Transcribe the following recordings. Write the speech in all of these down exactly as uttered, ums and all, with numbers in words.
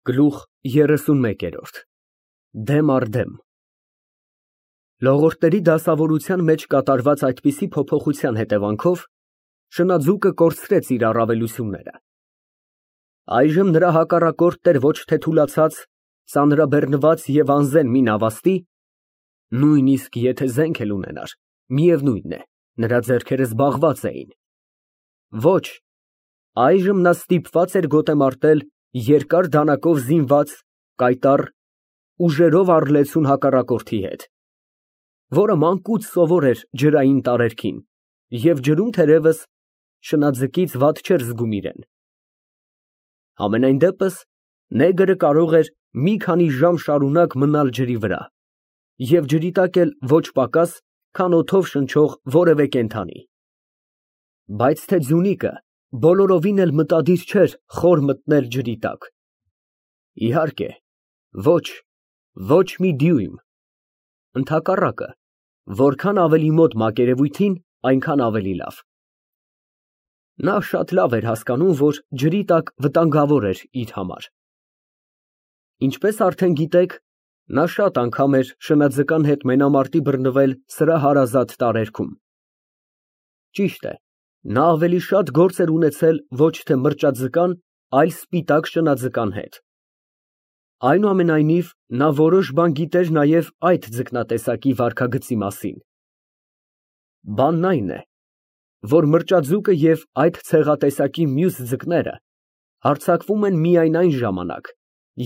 Գլուխ երեսունմեկ։ Դեմ առ դեմ Լողորդների դասավորության մեջ կատարված այդպիսի փոփոխության հետևանքով շնաձուկը կորցրեց իր առավելությունները։ Այժմ նրա հակառակորդն էր ոչ թե թուլացած, ծանրաբեռնված և անզեն մի նավաստի, նույնիսկ եթե զենք էլ ունենար, միևնույն է, նրա ձեռքերը զբաղված էին, ոչ, այժմ նա ստիպված էր գոտեմարտել երկար դանակով զինված, կայտառ, ուժերով առլեցուն հակառակորդի հետ, որը մանկուց սովոր էր ջրային տարերքին և ջրում, թերևս, շնաձկից վատ չէր զգում իրեն։ Համենայն դեպս, նեգրը կարող էր մի քանի ժամ շարունակ մնալ ջրի վրա և ջրի տակ էլ ոչ պակաս, քան օդով շնչող որևէ կենդանի։ Բայց թե ձյունիկը բոլորովին էլ մտադիր չէր խոր մտնել ջրի տակ։ Իհարկե, ոչ, ոչ մի դյույմ, ընդհակառակը, որքան ավելի մոտ մակերևույթին, այնքան ավելի լավ։ Նա շատ լավ էր հասկանում, որ ջրի տակ վտանգավոր էր իր համար։ Ինչպես արդեն գիտեք, նա շատ անգամ էր շնաձկան հետ մենամարտի բռնվել սրա հարազատ տարերքում։ Ճիշտ է, նա ավելի շատ գործ էր ունեցել ոչ թե մրճաձկան, այլ սպիտակ շնաձկան հետ։ Այնուամենայնիվ, նա որոշ բան գիտեր նաև այդ ձկնատեսակի վարքագծի մասին։ Բանն այն է, որ մրճաձուկը և այդ ցեղատեսակի մյուս ձկները հարձակվում են միայն այն ժամանակ,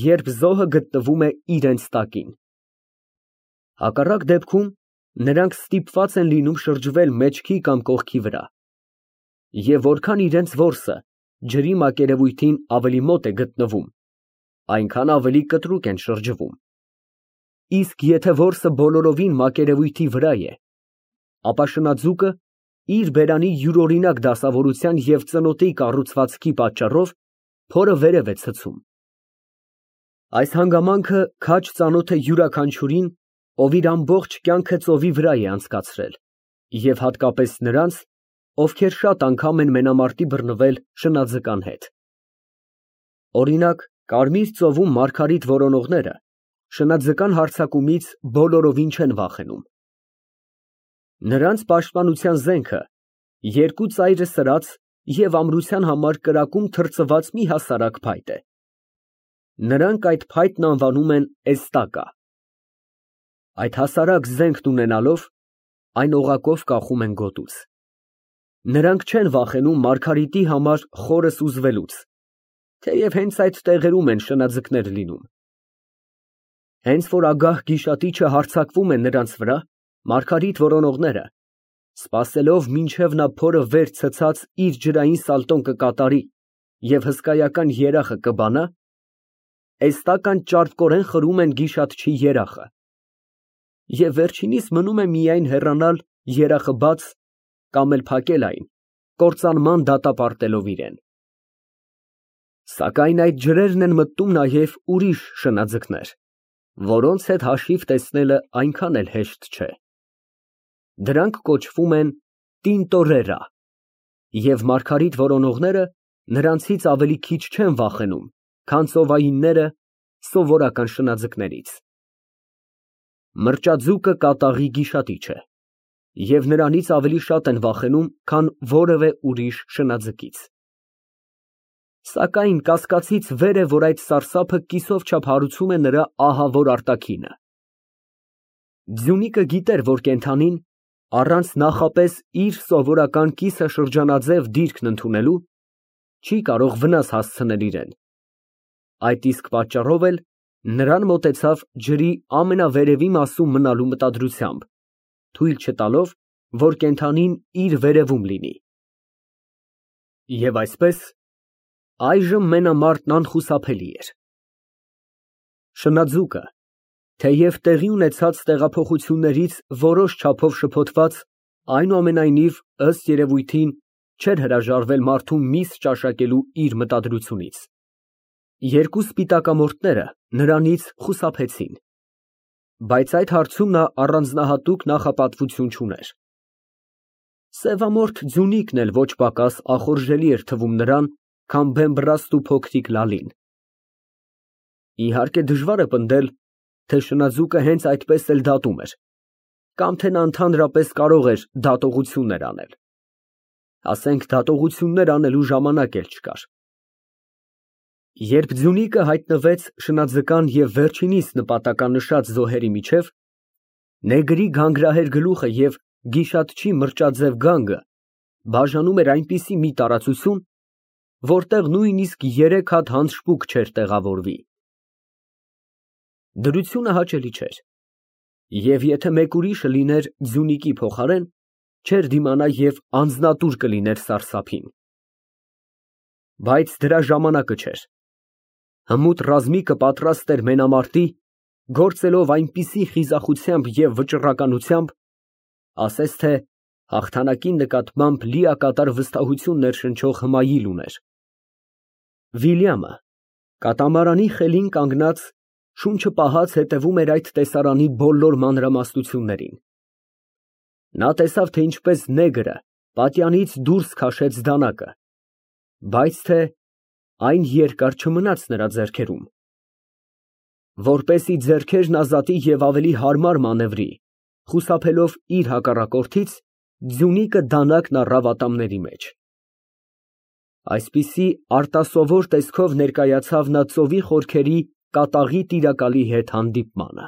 երբ զոհը գտնվում է իրենց տակին։ Հակառակ դեպքում նրանք ստիպված են լինում շրջվել մեջքի կամ կողքի վրա, և որքան իրենց որսը ջրի մակերևույթին ավելի մոտ է գտնվում, այնքան ավելի կտրուկ են շրջվում։ Իսկ եթե որսը բոլորովին մակերևույթի վրա է, ապա շնաձուկը իր բերանի յուրօրինակ դասավորության և ծնոտի կառուցվածքի պատճառով փորը վերև է ցցում։ Այս հանգամանքը քաջ ծանոթ է յուրաքանչյուրին, ով իր ամբողջ կյանքը ծովի վրա է անցկացրել, և հատկապես նրանց, ովքեր շատ անգամ են մենամարտի բռնվել շնաձկան հետ։ Օրինակ, Կարմիր ծովում մարգարիտ որոնողները շնաձկան հարձակումից բոլորովին չեն վախենում։ Նրանց պաշտպանության զենքը երկու ծայրը սրած և ամրության համար կրակում թրծված մի հասարակ փայտ է։ Նրանք այդ փայտն անվանում են էստակա։ Այդ հասարակ զենքն ունենալով, այն օղակով կախում են գոտուց։ Նրանք չեն վախենում մարգարիտի համար խորը սուզվելուց, թեև հենց այդ տեղերում են շնաձկներ լինում։ Հենց որ ագահ գիշատիչը հարձակվում է նրանց վրա, մարգարիտ որոնողները, սպասելով մինչև նա փորը վեր ցցած իր ջրային սալտոն կկատարի և հսկայական երախը կբանա, էստական ճարպկորեն խրում են գիշատչի երախը, և վերջինիս մնում է միայն հեռանալ երախը բաց կամ էլ փակել այն, կործանման դատապարտելով իրեն։ Սակայն այդ ջրերն են մտնում նաև ուրիշ շնաձկներ, որոնց հետ հաշիվ տեսնելը այնքան էլ հեշտ չէ։ Դրանք կոչվում են տինտորերա, և մարգարիտ որոնողները նրանցից ավելի քիչ չեն վախենում, քան ծովայինները սովորական շնաձկներից։ Մրճաձուկը կատաղի գիշատիչ է, և նրանից ավելի շատ են վախենում, քան որևէ ուրիշ շնաձկից։ Սակայն կասկածից վեր է, որ այդ սարսափը կիսով չափ հարուցում է նրա ահավոր արտաքինը։ Ձյունիկը գիտեր, որ կենդանին, առանց նախապես իր սովորական կիսաշրջանաձև դիրքն ընդունելու, չի կարող վնաս հասցնել իրան։ Այդ իսկ պատճառով էլ նրան մոտեցավ ջրի ամենավերևի մասում մնալու մտադրությամբ, թույլ չտալով, որ կենդանին իր վերևում լինի։ Եվ այսպես, այժմ մենամարտն անխուսափելի էր։ Շնաձուկը, թեև տեղի ունեցած տեղափոխություններից որոշ չափով շփոթված, այնուամենայնիվ, ըստ երևույթին, չէր հրաժարվել մարդու միս ճաշակելու իր մտադրությունից։ Երկու սպիտակամորթները նրանից խուսափեցին, բայց այդ հարցում նա առանձնահատուկ նախապատվություն չուներ։ Սևամորթ ձյունիկն էլ ոչ պակաս ախորժելի էր թվում նրան, քան բեմբռաստ ու փոքրիկ Լալին։ Իհարկե դժվար է պնդել, թե շնաձուկը հենց այդպես էլ դատում էր, կամ թե նա ընդհանրապես կարող էր դատողություններ անել, ասենք դատողություններ անելու ժամանակ էլ չկար։ Երբ Ձյունիկը հայտնվեց շնաձկան և վերջինիս նպատականշած զոհերի միջև, նեգրի գանգրահեր գլուխը և գիշատչի մրճաձև գանգը բաժանում էր այնպիսի մի տարածություն, որտեղ նույնիսկ երեք հատ հանձշպուկ չէր տեղավորվի։ Դրությունը հաճելի չէր, և եթե մեկ ուրիշը լիներ Ձյունիկի փոխարեն, չէր դիմանա և անձնատուր կլիներ սարսափին։ Բայց դրա ժամանակը չէր։ Հմուտ ռազմիկը պատրաստ էր մենամարտի, գործելով այնպիսի խիզախությամբ և վճռականությամբ, ասես թե հաղթանակի նկատմամբ լիակատար վստահություն ներշնչող հմայիլ ուներ։ Վիլյամը կատամարանի խելին կանգնած, շունչը պահած հետևում էր այդ տեսարանի բոլոր մանրամասնություններին։ Նա տեսավ, թե ինչպես նեգրը պատյանից դուրս քաշեց դանակը, բայց թե այն երկար չմնաց նրա ձեռքերում։ Որպեսզի ձեռքերն ազատի և ավելի հարմար մանևրի, խուսափելով իր հակառակորդից, Ձյունիկը դանակն առավ ատամների մեջ։ Այսպիսի արտասովոր տեսքով ներկայացավ նա ծովի խորքերի կատաղի տիրակալի հետ հանդիպմանը։